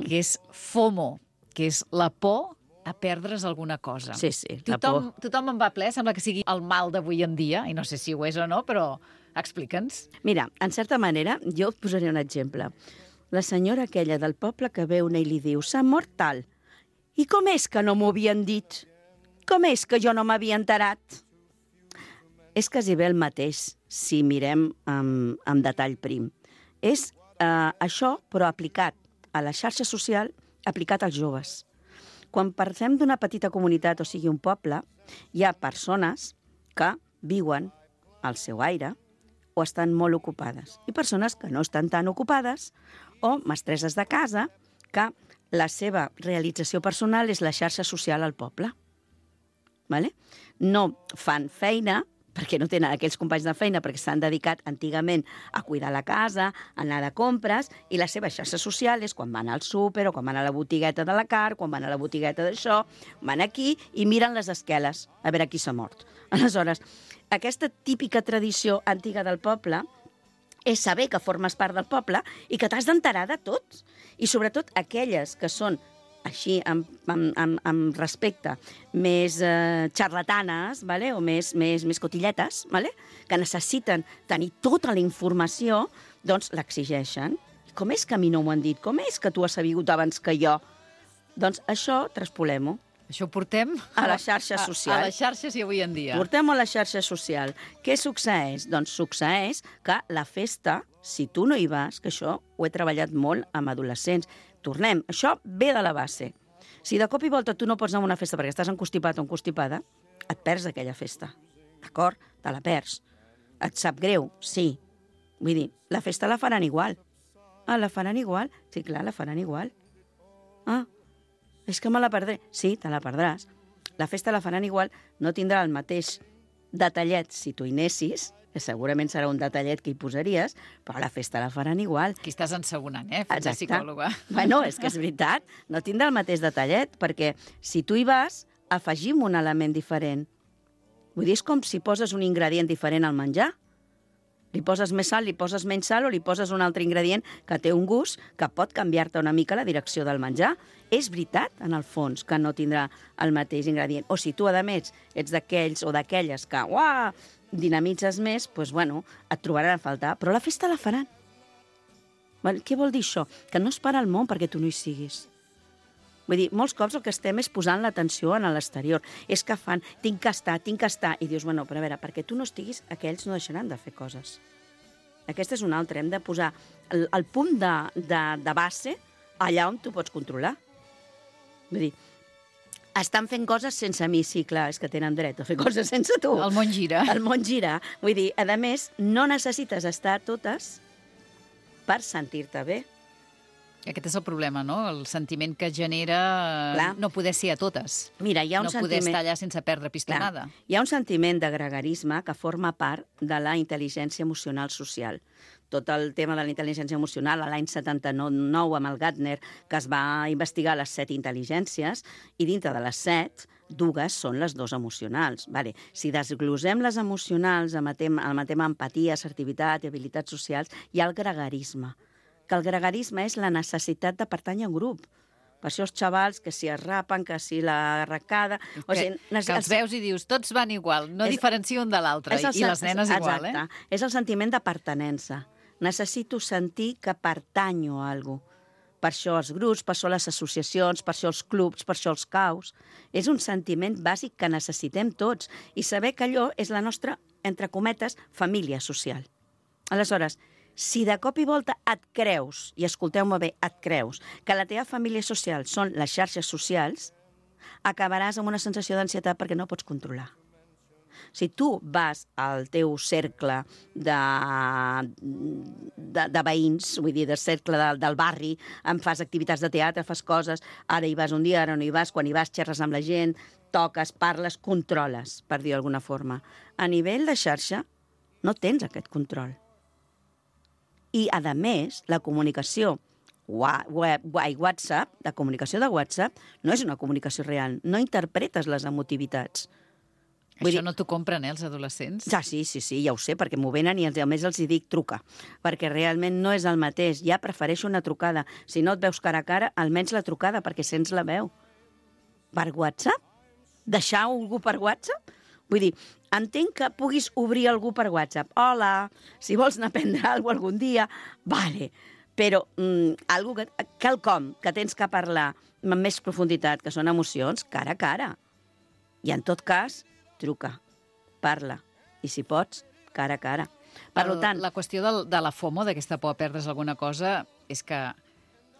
que és FOMO, que és la por a perdre's alguna cosa. Sí, sí, la tothom, por. Tothom en va ple, sembla que sigui el mal d'avui en dia, i no sé si ho és o no, però explica'ns. Mira, en certa manera, jo et posaré un exemple. La senyora aquella del poble que ve una i li diu «S'ha mort tal». I com és que no m'ho havien dit? Com és que jo no m'havia enterat? És quasi bé el mateix, si mirem amb, amb detall prim. És eh, això, però aplicat a la xarxa social, aplicat als joves. Quan parlem d'una petita comunitat, o sigui, un poble, hi ha persones que viuen al seu aire o estan molt ocupades. I persones que no estan tan ocupades o mestresses de casa que la seva realització personal és la xarxa social al poble. Vale? No fan feina, perquè no tenen aquells companys de feina, perquè s'han dedicat antigament a cuidar la casa, a anar de compres, i la seva xarxa social és quan van al súper o quan van a la botigueta de la car, quan van a la botigueta d'això, van aquí i miren les esqueles, a veure qui s'ha mort. Aleshores, aquesta típica tradició antiga del poble és saber que formes part del poble i que t'has d'enterar de tot. I sobretot aquelles que són així, amb, amb, amb, amb respecte, més eh, xarlatanes, vale? O més, més, més cotilletes, vale? Que necessiten tenir tota la informació, doncs l'exigeixen. Com és que a mi no m'ho han dit? Com és que tu has sabut abans que jo? Doncs això traspolem-ho. Això ho portem a la xarxa social. A, a les xarxes i avui en dia. Portem-ho a la xarxa social. Què succeeix? Doncs succeeix que la festa, si tu no hi vas, que això ho he treballat molt amb adolescents, tornem, això ve de la base. Si de cop i volta tu no pots anar a una festa perquè estàs encostipat o encostipada, et perds aquella festa. D'acord? Te la perds. Et sap greu? Sí. Vull dir, la festa la faran igual. Ah, la faran igual? Sí, clar, la faran igual. Ah, és que me la perdré. Sí, te la perdràs. La festa la faran igual, no tindrà el mateix detallet si tu hi anessis, que segurament serà un detallet que hi posaries, però la festa la faran igual. Aquí estàs ensegurant, eh? Fent de psicòloga. Bueno, és que és veritat, no tindrà el mateix detallet, perquè si tu hi vas, afegim un element diferent. Vull dir, és com si poses un ingredient diferent al menjar. Li poses més sal, li poses menys sal o li poses un altre ingredient que té un gust que pot canviar-te una mica la direcció del menjar. És veritat, en el fons, que no tindrà el mateix ingredient. O si tu, a més, ets d'aquells o d'aquelles que, uah, dinamitzes més, doncs, bueno, et trobaran a faltar. Però la festa la faran. Què vol dir això? Que no es para el món perquè tu no hi siguis. Vull dir, molts cops el que estem és posant l'atenció en l'exterior. És que fan, tinc que estar, tinc que estar. I dius, bueno, però a veure, perquè tu no estiguis, aquells no deixaran de fer coses. Aquesta és una altra. Hem de posar el, el punt de, de, de base allà on tu pots controlar. Vull dir, estan fent coses sense mi, sí, clar, és que tenen dret a fer coses sense tu. El món gira. El món gira. Vull dir, a més, no necessites estar a totes per sentir-te bé. Aquest és el problema, no? El sentiment que genera Clar. no poder ser a totes. Mira, hi ha un no sentiment... poder estar allà sense perdre pistonada. Clar. Hi ha un sentiment de gregarisme que forma part de la intel·ligència emocional social. Tot el tema de la intel·ligència emocional, a l'any setanta-nou amb el Gartner, que es va investigar les set intel·ligències, i dintre de les set, dues són les dues emocionals. Vale. Si desglosem les emocionals amb el tema, amb el tema empatia, assertivitat i habilitats socials, hi ha el gregarisme, que el gregarisme és la necessitat de pertànyer a un grup. Per això els xavals, que si es rapen, que si la arracada... Que, o sigui, que els veus i dius, tots van igual, no és, diferencio un de l'altre, i les nenes igual, exacte, eh? És el sentiment de pertenença. Necessito sentir que pertanyo a alguna cosa. Per això els grups, per això les associacions, per això els clubs, per això els caus. És un sentiment bàsic que necessitem tots i saber que allò és la nostra, entre cometes, família social. Aleshores, si de cop i volta et creus, i escolteu-me bé, et creus, que la teva família social són les xarxes socials, acabaràs amb una sensació d'ansietat perquè no pots controlar. Si tu vas al teu cercle de, de, de veïns, vull dir, del cercle de, del barri, em fas activitats de teatre, fas coses, ara hi vas un dia, ara no hi vas, quan hi vas xerres amb la gent, toques, parles, controles, per dir d'alguna forma. A nivell de xarxa no tens aquest control. I, a més, la comunicació web, WhatsApp, la comunicació de WhatsApp, no és una comunicació real. No interpretes les emotivitats. Vull Això dir... no t'ho compren, eh, els adolescents? Ja, sí, sí, sí, ja ho sé, perquè m'ho venen i a més els hi dic truca, perquè realment no és el mateix. Ja prefereixo una trucada. Si no et veus cara a cara, almenys la trucada, perquè sents la veu. Per WhatsApp? Deixar algú per WhatsApp? Vull dir, entenc que puguis obrir algú per WhatsApp. Hola, si vols anar a prendre alguna cosa algun dia, vale. Però mm, algo que, quelcom que tens que parlar amb més profunditat, que són emocions, cara a cara. I en tot cas, truca, parla. I si pots, cara a cara. Per El, tant... La qüestió de, de la FOMO, d'aquesta por a perdre's alguna cosa, és que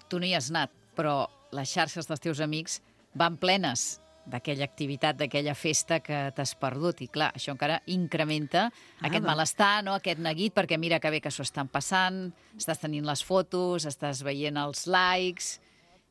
tu no hi has anat, però les xarxes dels teus amics van plenes d'aquella activitat, d'aquella festa que t'has perdut. I clar, això encara incrementa ah, aquest va. malestar, no? Aquest neguit, perquè mira que bé que s'ho estan passant, estàs tenint les fotos, estàs veient els likes,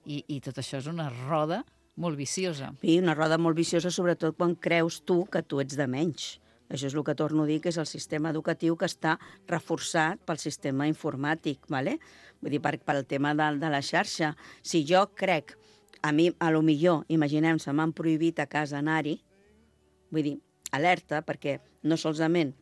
i, i tot això és una roda molt viciosa. Sí, una roda molt viciosa, sobretot quan creus tu que tu ets de menys. Això és el que torno a dir, que és el sistema educatiu que està reforçat pel sistema informàtic, ¿vale? Vull dir, per, pel tema de, de la xarxa. Si jo crec, a mi, a lo millor, imaginem, se m'han prohibit a casa anar-hi, vull dir, alerta, perquè no solament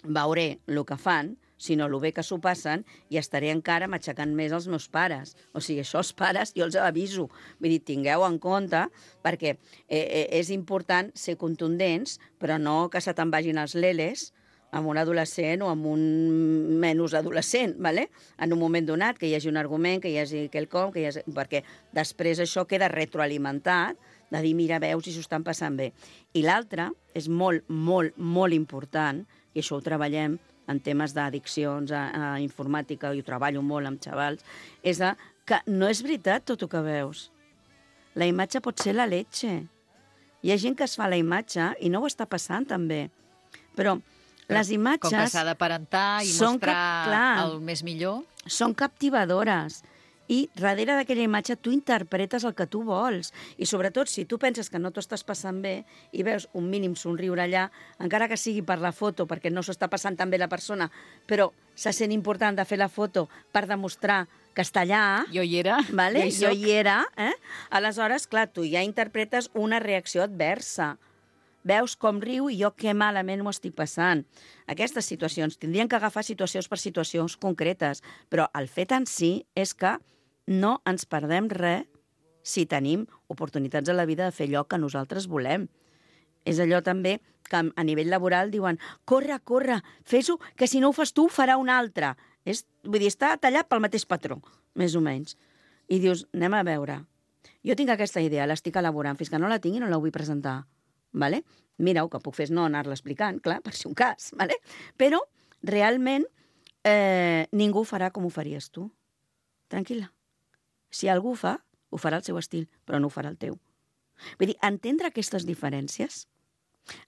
veuré el que fan, sinó el bé que s'ho passen, i estaré encara matxacant més els meus pares. O sigui, això els pares jo els aviso. Vull dir, tingueu en compte, perquè eh, és important ser contundents, però no que se te'n vagin els leles amb un adolescent o amb un menys adolescent, ¿vale? En un moment donat, que hi hagi un argument, que hi hagi quelcom, que hi hagi... perquè després això queda retroalimentat, de dir, mira, veus, si s'ho estan passant bé. I l'altre és molt, molt, molt important, i això ho treballem en temes d'addiccions a, a informàtica, i ho treballo molt amb xavals, és de, que no és veritat tot el que veus. La imatge pot ser la leche. Hi ha gent que es fa la imatge i no ho està passant també. Però les imatges... Com que s'ha d'aparentar i mostrar cap, clar, el més millor. Són captivadores. I darrere d'aquella imatge tu interpretes el que tu vols. I sobretot, si tu penses que no t'ho estàs passant bé i veus un mínim somriure allà, encara que sigui per la foto, perquè no s'ho està passant tan bé la persona, però se sent important de fer la foto per demostrar que està allà... Jo hi era. Vale? Jo hi, jo hi era. Eh? Aleshores, clar, tu ja interpretes una reacció adversa. Veus com riu i jo que malament m'ho estic passant. Aquestes situacions tindrien que agafar situacions per situacions concretes, però el fet en si és que no ens perdem res si tenim oportunitats a la vida de fer allò que nosaltres volem. És allò també que a nivell laboral diuen corre, corre, fes-ho, que si no ho fas tu ho farà un altre. És, vull dir, està tallat pel mateix patró, més o menys. I dius, anem a veure. Jo tinc aquesta idea, l'estic elaborant, fins que no la tingui no la vull presentar. Vale? Mira, el que puc fer és no anar-la explicant, clar, per si un cas, vale? Però realment eh, ningú farà com ho faries tu. Tranquil·la. Si algú ho fa, ho farà al seu estil, però no ho farà el teu. Vull dir, entendre aquestes diferències,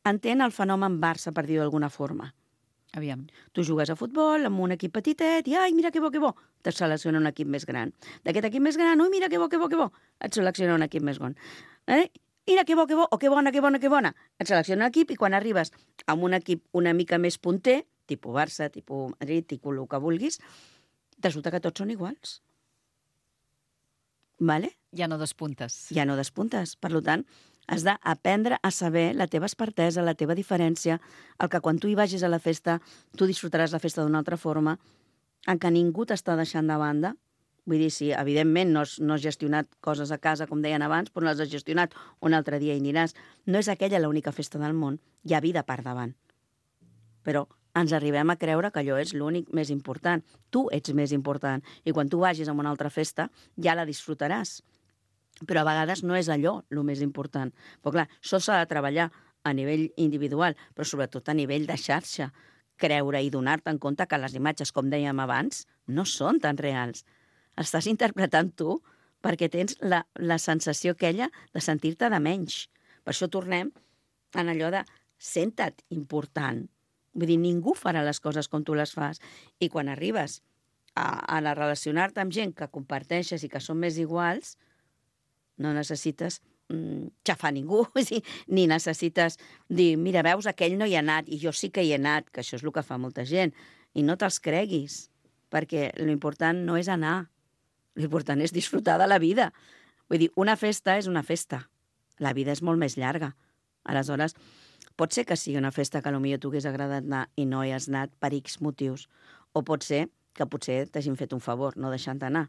entén el fenomen Barça, per dir-ho d'alguna forma. Aviam. Tu jugues a futbol amb un equip petitet i, ai, mira que bo, que bo, te selecciona un equip més gran. D'aquest equip més gran, ui, mira que bo, que bo, que bo, et selecciona un equip més gran. Eh? Mira, que bo, que bo, o que bona, que bona, que bona. Et selecciona un equip i quan arribes amb un equip una mica més punter, tipus Barça, tipus Madrid, tipus el que vulguis, resulta que tots són iguals. Vale? Ja no despuntes. Ja no despuntes. Per tant, has d'aprendre a saber la teva expertesa, la teva diferència, el que quan tu hi vagis a la festa, tu disfrutaràs la festa d'una altra forma, en què ningú t'està deixant de banda. Vull dir, si evidentment no has, no has gestionat coses a casa, com deien abans, però no les has gestionat un altre dia i aniràs. No és aquella l'única festa del món. Hi ha vida per davant. Però ens arribem a creure que allò és l'únic més important. Tu ets més important. I quan tu vagis a una altra festa, ja la disfrutaràs. Però a vegades no és allò el més important. Però clar, això s'ha de treballar a nivell individual, però sobretot a nivell de xarxa. Creure i donar-te en compte que les imatges, com dèiem abans, no són tan reals. Estàs interpretant tu perquè tens la, la sensació aquella de sentir-te de menys. Per això tornem en allò de senta't important. Vull dir, ningú farà les coses com tu les fas. I quan arribes a, a relacionar-te amb gent que comparteixes i que són més iguals, no necessites mm, xafar ningú, ni necessites dir, mira, veus, aquell no hi ha anat i jo sí que hi he anat, que això és el que fa molta gent. I no te'ls creguis, perquè l'important no és anar, l'important és disfrutar de la vida. Vull dir, una festa és una festa, la vida és molt més llarga. Aleshores, pot ser que sigui una festa que potser t'hagués agradat anar i no hi has anat per X motius, o pot ser que potser t'hagin fet un favor no deixant-te anar.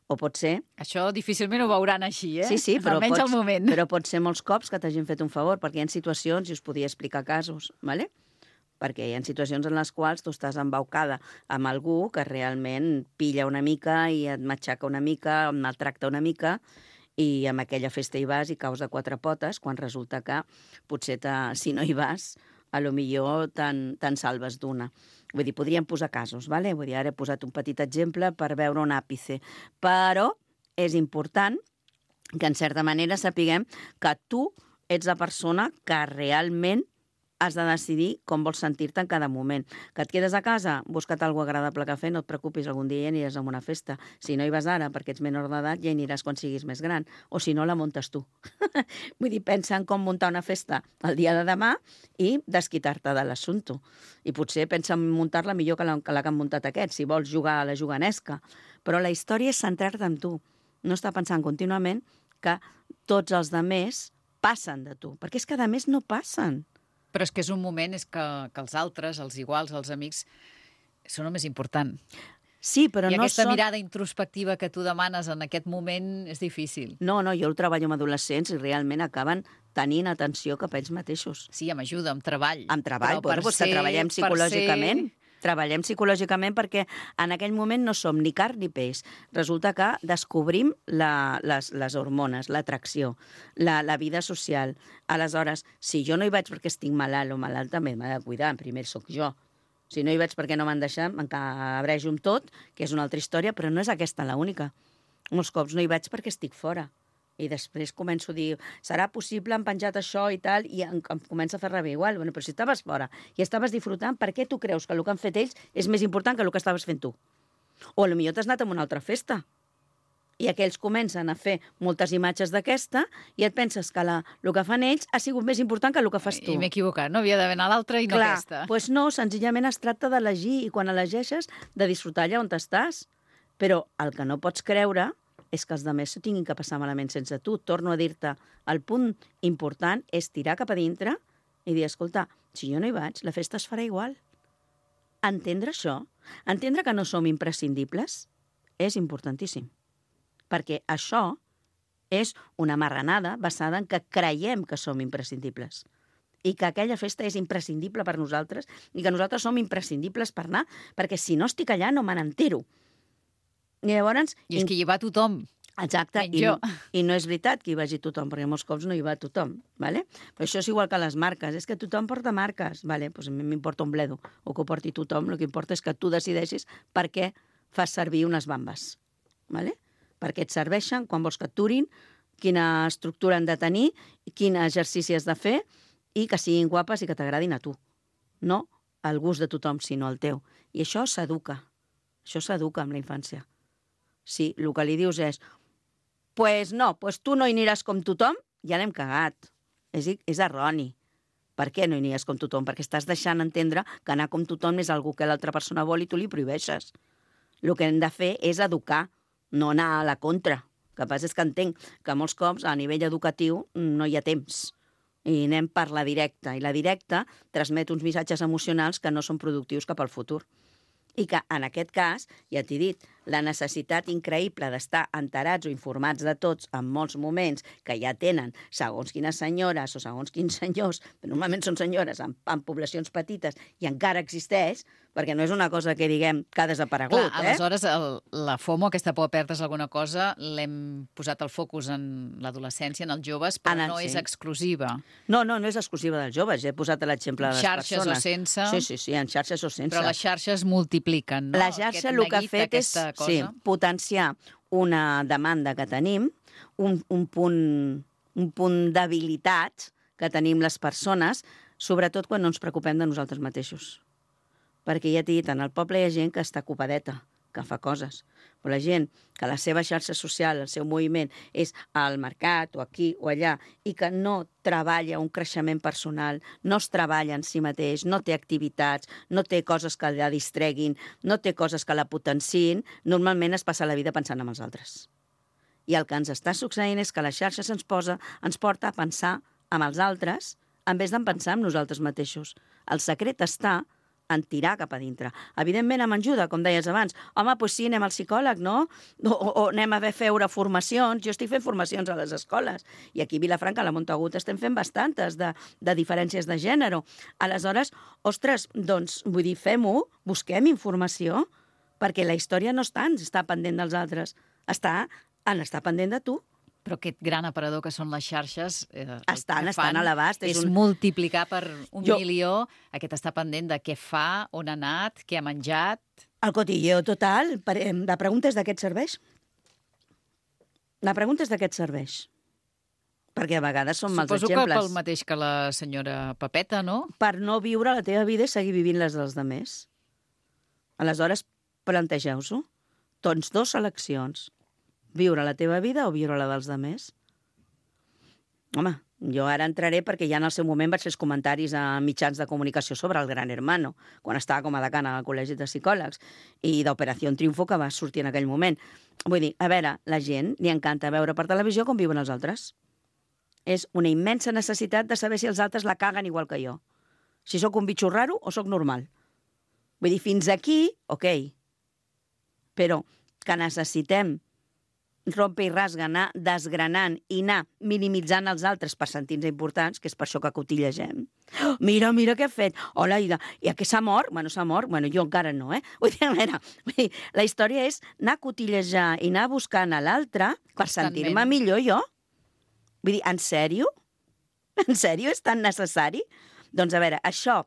O pot ser... Això difícilment ho veuran així, eh? Sí, sí, però, almenys pots, al moment. però pot ser molts cops que t'hagin fet un favor, perquè hi ha situacions, i us podia explicar casos, ¿vale? Perquè hi ha situacions en les quals tu estàs embaucada amb algú que realment pilla una mica i et matxaca una mica, et maltracta una mica, i amb aquella festa hi vas i caus de quatre potes, quan resulta que potser te, si no hi vas, a lo millor te'n te salves d'una. Vull dir, podríem posar casos, ¿vale? Vull dir, ara he posat un petit exemple per veure un àpice. Però és important que, en certa manera, sapiguem que tu ets la persona que realment has de decidir com vols sentir-te en cada moment. Que et quedes a casa, busca't alguna agradable que fer, no et preocupis, algun dia ja aniràs a una festa. Si no hi vas ara, perquè ets menor d'edat, ja hi aniràs quan siguis més gran. O si no, la muntes tu. Vull dir, pensa en com muntar una festa el dia de demà i desquitar-te de l'assumpte. I potser pensa en muntar-la millor que la, que la que han muntat aquests, si vols jugar a la juganesca. Però la història és centrar-te en tu. No estar pensant contínuament que tots els demés passen de tu. Perquè és que, a més, no passen. Però és que és un moment és que, que els altres, els iguals, els amics, són el més important. Sí, però I no aquesta són... mirada introspectiva que tu demanes en aquest moment és difícil. No, no, jo el treballo amb adolescents i realment acaben tenint atenció cap a ells mateixos. Sí, amb ajuda, amb treball. Amb treball, però bueno, doncs que treballem psicològicament. Ser... Treballem psicològicament perquè en aquell moment no som ni carn ni peix. Resulta que descobrim la, les, les hormones, l'atracció, la, la vida social. Aleshores, si jo no hi vaig perquè estic malalt o malalta, m'he de cuidar, primer sóc jo. Si no hi vaig perquè no m'han deixat, m'encabrejo amb tot, que és una altra història, però no és aquesta l'única. Molts cops no hi vaig perquè estic fora. I després començo a dir, serà possible, han penjat això i tal, i em, em comença a fer rebé igual. Bueno, però si estaves fora i estaves disfrutant, per què tu creus que el que han fet ells és més important que el que estaves fent tu? O potser t'has anat a una altra festa i aquells comencen a fer moltes imatges d'aquesta i et penses que la, el que fan ells ha sigut més important que el que fas tu. I m'he equivocat, no? Havia d'haver anat a l'altra i no Clar, aquesta. Doncs no, senzillament es tracta d'elegir i quan elegeixes de disfrutar allà on estàs. Però el que no pots creure és que els altres s'ho tinguin que passar malament sense tu. Torno a dir-te, el punt important és tirar cap a dintre i dir, escolta, si jo no hi vaig, la festa es farà igual. Entendre això, entendre que no som imprescindibles, és importantíssim. Perquè això és una marranada basada en que creiem que som imprescindibles i que aquella festa és imprescindible per nosaltres i que nosaltres som imprescindibles per anar, perquè si no estic allà no me n'entero. I llavors... I és que hi va tothom. Exacte, i, i no és veritat que hi vagi tothom, perquè molts cops no hi va tothom, ¿vale? Però això és igual que les marques, és que tothom porta marques, ¿vale? Pues a mi m'importa un bledo, o que ho porti tothom, el que importa és que tu decideixis per què fas servir unes bambes, ¿vale? Per què et serveixen, quan vols que et durin, quina estructura han de tenir, quin exercici has de fer, i que siguin guapes i que t'agradin a tu. No al gust de tothom, sinó al teu. I això s'educa, això s'educa amb la infància. Si el que li dius és pues no, pues tu no hi aniràs com tothom, ja l'hem cagat. És, és erroni. Per què no hi aniràs com tothom? Perquè estàs deixant entendre que anar com tothom és algú que l'altra persona vol i tu li prohibeixes. El que hem de fer és educar, no anar a la contra. El que passa és que entenc que molts cops a nivell educatiu no hi ha temps. I anem per la directa. I la directa transmet uns missatges emocionals que no són productius cap al futur. I que, en aquest cas, ja t'he dit, la necessitat increïble d'estar enterats o informats de tots en molts moments que ja tenen segons quines senyores o segons quins senyors, però normalment són senyores en, en poblacions petites i encara existeix, perquè no és una cosa que diguem que ha desaparegut. Clar, aleshores, el, la FOMO, aquesta por a perdre's alguna cosa, l'hem posat el focus en l'adolescència, en els joves, però Anant, no sí. és exclusiva. No, no, no és exclusiva dels joves. Ja he posat l'exemple de les Xarxes persones. o sense. Sí, sí, sí, en xarxes o sense. Però les xarxes multipliquen, no? La xarxa el que ha fet és sí, potenciar una demanda que tenim, un, un punt, un punt d'habilitat que tenim les persones sobretot quan no ens preocupem de nosaltres mateixos. Perquè ja t'he dit, en el poble hi ha gent que està ocupadeta, que fa coses. Però la gent que la seva xarxa social, el seu moviment, és al mercat o aquí o allà i que no treballa un creixement personal, no es treballa en si mateix, no té activitats, no té coses que la distreguin, no té coses que la potenciïn, normalment es passa la vida pensant en els altres. I el que ens està succeint és que la xarxa se'ns posa, ens porta a pensar en els altres en vez de pensar en nosaltres mateixos. El secret està en tirar cap a dintre. Evidentment, amb ajuda, com deies abans. Home, doncs sí, anem al psicòleg, no? O, o, o anem a veure formacions. Jo estic fent formacions a les escoles. I aquí a Vilafranca, a la Montagut, estem fent bastantes de, de diferències de gènere. Aleshores, ostres, doncs, vull dir, fem-ho, busquem informació, perquè la història no està en estar pendent dels altres, està en estar pendent de tu. Però aquest gran aparador que són les xarxes... Eh, estan, estan a l'abast. És, és un... multiplicar per un jo... milió aquest estar pendent de què fa, on ha anat, què ha menjat... El cotilleo total. La pregunta és de què et serveix? La pregunta és de què et serveix? Perquè a vegades són mals exemples. exemples. Suposo que pel mateix que la senyora Pepeta, no? Per no viure la teva vida i seguir vivint les dels altres. Aleshores, plantegeu-ho. Tens dues seleccions. Viure la teva vida o viure la dels altres? Home, jo ara entraré perquè ja en el seu moment vaig fer els comentaris a mitjans de comunicació sobre el Gran Hermano, quan estava com a decana al Col·legi de Psicòlegs, i d'Operació Triunfo que va sortir en aquell moment. Vull dir, a veure, la gent li encanta veure per televisió com viuen els altres. És una immensa necessitat de saber si els altres la caguen igual que jo. Si sóc un bitxo raro o sóc normal. Vull dir, fins aquí, ok. Però que necessitem rompe i rasga, anar desgranant i anar minimitzant els altres per sentir-nos importants, que és per això que cotillegem. Oh, mira, mira què ha fet. Hola, i, i que s'ha mort? Bueno, s'ha mort. Bueno, jo encara no, eh? Vull dir, a veure, vull dir, la història és anar a cotillejar i anar buscant a l'altre per sentir-me millor jo. Vull dir, en sèrio? En sèrio? És tan necessari? Doncs a veure, això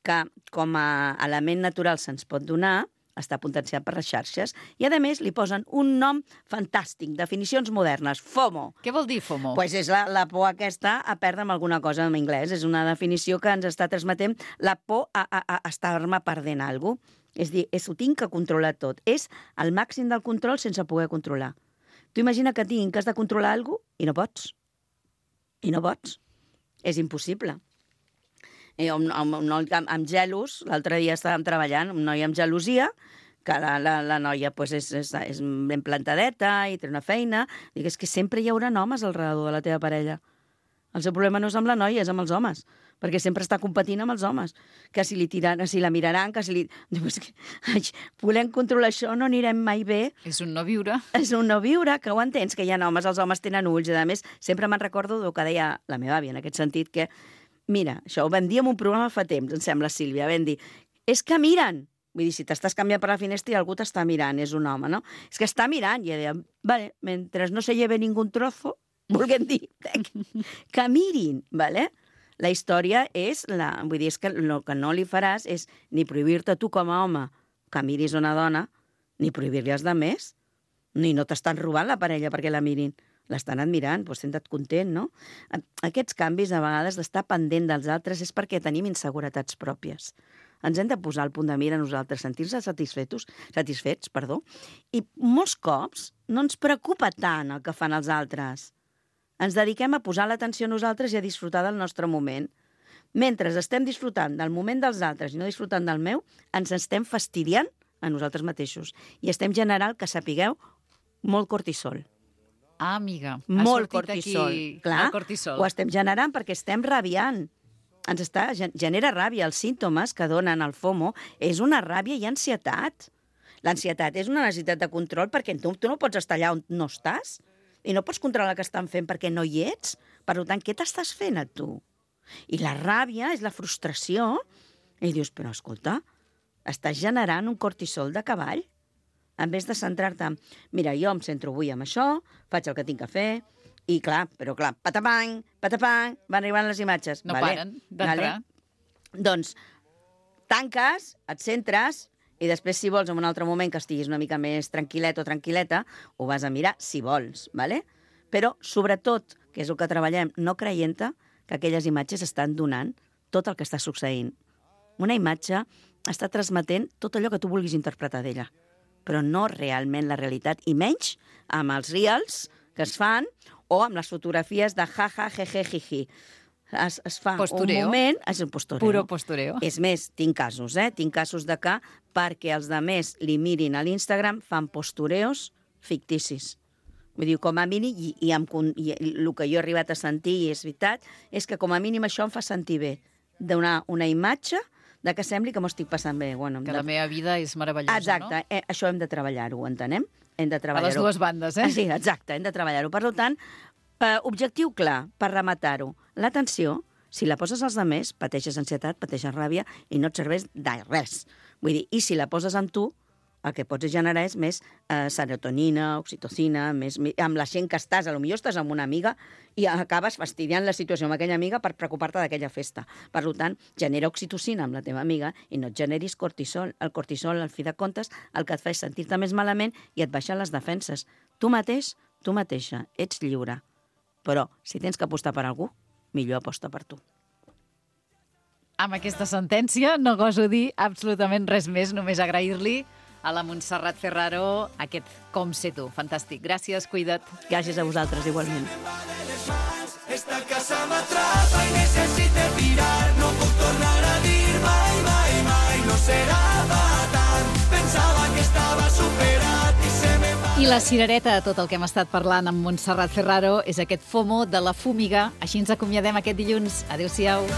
que com a element natural se'ns pot donar està potenciat per les xarxes, i a més li posen un nom fantàstic, definicions modernes, FOMO. Què vol dir FOMO? Pues és la, la por aquesta a perdre amb alguna cosa en anglès. És una definició que ens està transmetent la por a, a, a estar-me perdent alguna cosa. És dir, és, ho tinc que controlar tot. És el màxim del control sense poder controlar. Tu imagina que tinc que has de controlar alguna cosa i no pots. I no pots. És impossible. Eh, un, un, un noi amb, amb gelos, l'altre dia estàvem treballant, un noi amb gelosia, que la, la, la noia pues, és, és, és ben plantadeta i té una feina. Dic, és que sempre hi haurà homes al redador de la teva parella. El seu problema no és amb la noia, és amb els homes, perquè sempre està competint amb els homes, que si li tiran, si la miraran, que si li... Diu, és que, ai, volem controlar això, no anirem mai bé. És un no viure. És un no viure, que ho entens, que hi ha homes, els homes tenen ulls, i a més, sempre me'n recordo del que deia la meva àvia, en aquest sentit, que mira, això ho vam dir en un programa fa temps, em sembla, Sílvia, vam dir, és que miren. Vull dir, si t'estàs canviant per la finestra i algú t'està mirant, és un home, no? És que està mirant, i ella deia, vale, mentre no se lleve ningú trozo, volguem dir, que mirin, vale? La història és, la, vull dir, és que el que no li faràs és ni prohibir-te tu com a home que miris una dona, ni prohibir-li als altres, ni no t'estan robant la parella perquè la mirin. L'estan admirant, doncs senta't content, no? Aquests canvis, a vegades, d'estar pendent dels altres és perquè tenim inseguretats pròpies. Ens hem de posar al punt de mira nosaltres, sentir-se satisfets, satisfets, perdó, i molts cops no ens preocupa tant el que fan els altres. Ens dediquem a posar l'atenció a nosaltres i a disfrutar del nostre moment. Mentre estem disfrutant del moment dels altres i no disfrutant del meu, ens estem fastidiant a nosaltres mateixos i estem generant, que sapigueu, molt cortisol. Ah, amiga, ha molt sortit cortisol. Aquí Clar, el cortisol. Ho estem generant perquè estem rabiant. Ens està, genera ràbia. Els símptomes que donen el FOMO és una ràbia i ansietat. L'ansietat és una necessitat de control perquè tu, tu no pots estar allà on no estàs i no pots controlar el que estan fent perquè no hi ets. Per tant, què t'estàs fent a tu? I la ràbia és la frustració. I dius, però escolta, estàs generant un cortisol de cavall. En vez de centrar-te en, mira, jo em centro avui amb això, faig el que tinc que fer, i clar, però clar, patapang, patapang, van arribant les imatges. No vale, paren d'entrar. Vale. Doncs tanques, et centres, i després, si vols, en un altre moment que estiguis una mica més tranquil·let o tranquil·leta, ho vas a mirar, si vols, vale? Però, sobretot, que és el que treballem, no creient-te que aquelles imatges estan donant tot el que està succeint. Una imatge està transmetent tot allò que tu vulguis interpretar d'ella, però no realment la realitat, i menys amb els reels que es fan o amb les fotografies de jaja, jeje, jiji. Es, es fa Postureo. un moment... És un postureo. Puro postureo. És més, tinc casos, eh? Tinc casos de que perquè els demés li mirin a l'Instagram fan postureos ficticis. Vull dir, com a mínim, i, i, amb, i el que jo he arribat a sentir, i és veritat, és que com a mínim això em fa sentir bé, donar una imatge de que sembli que m'ho estic passant bé. Bueno, Que de... la meva vida és meravellosa, exacte, no? eh, això hem de treballar-ho, entenem? Hem de A treballar-ho. les dues bandes, eh? Ah, sí, exacte, hem de treballar-ho. Per tant, eh, objectiu clar, per rematar-ho. L'atenció, si la poses als altres, pateixes ansietat, pateixes ràbia i no et serveix de res. Vull dir, i si la poses en tu, el que pots generar és més eh, serotonina, oxitocina, més, amb la gent que estàs, potser estàs amb una amiga i acabes fastidiant la situació amb aquella amiga per preocupar-te d'aquella festa. Per tant, genera oxitocina amb la teva amiga i no et generis cortisol. El cortisol, al fi de comptes, el que et fa és sentir-te més malament i et baixa les defenses. Tu mateix, tu mateixa, ets lliure. Però, si tens que apostar per algú, millor aposta per tu. Amb aquesta sentència no goso dir absolutament res més, només agrair-li a la Montserrat Ferraro aquest Com sé tu. Fantàstic. Gràcies, cuida't. Gràcies a vosaltres, igualment. Esta casa m'atrapa i necessite tirar. No puc tornar a dir mai, mai, mai. No serà tant. Pensava que estava superat i se me va... I la cirereta de tot el que hem estat parlant amb Montserrat Ferraro és aquest FOMO de la fúmiga. Així ens acomiadem aquest dilluns. Adéu-siau.